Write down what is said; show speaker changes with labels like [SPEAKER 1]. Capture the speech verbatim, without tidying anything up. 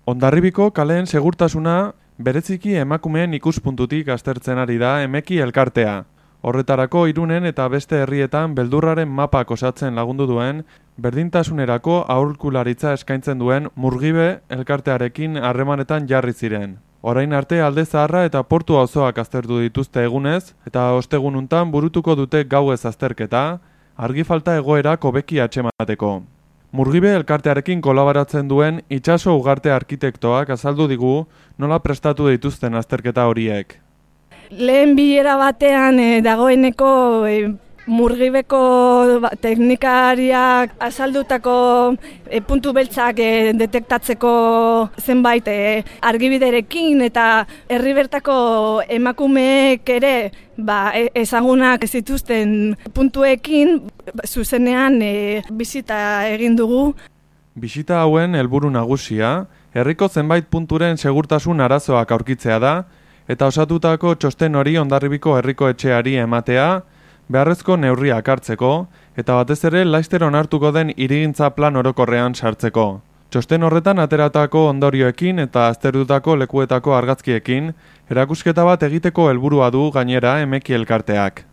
[SPEAKER 1] Hondarribiko kaleen segurtasuna bereziki emakumeen ikuspuntutik aztertzen ari da Emeki elkartea. Horretarako Irunen eta beste herrietan beldurraren mapak osatzen lagundu duen, berdintasunerako aholkularitza eskaintzen duen Murgibe elkartearekin harremanetan jarri ziren. Orain arte Alde Zaharra eta Portu auzoak aztertu dituzte egunez, eta ostegununtan burutuko dute gauez azterketa, argi falta egoerak hobeki atxemateko. Murgibe elkartearekin kolaboratzen duen itsaso ugarte arkitektoak azaldu digu nola prestatu dituzten azterketa horiek.
[SPEAKER 2] Lehen bilera batean eh, dagoeneko eh, Murgibeko ba, teknikariak azaldutako eh, puntu beltzak eh, detektatzeko zenbait eh, argibiderekin eta herri bertako emakumeek ere ba, ezagunak zituzten puntuekin zuzenean e, bisita egin dugu.
[SPEAKER 1] Bisita hauen helburu nagusia, herriko zenbait punturen segurtasun arazoak aurkitzea da, eta osatutako txosten hori Hondarribiko herriko etxeari ematea, beharrezko neurriak hartzeko, eta batez ere laster onartuko den hirigintza plan orokorrean sartzeko. Txosten horretan ateratako ondorioekin eta aztertutako lekuetako argazkiekin, erakusketa bat egiteko helburua du gainera Emeki elkarteak.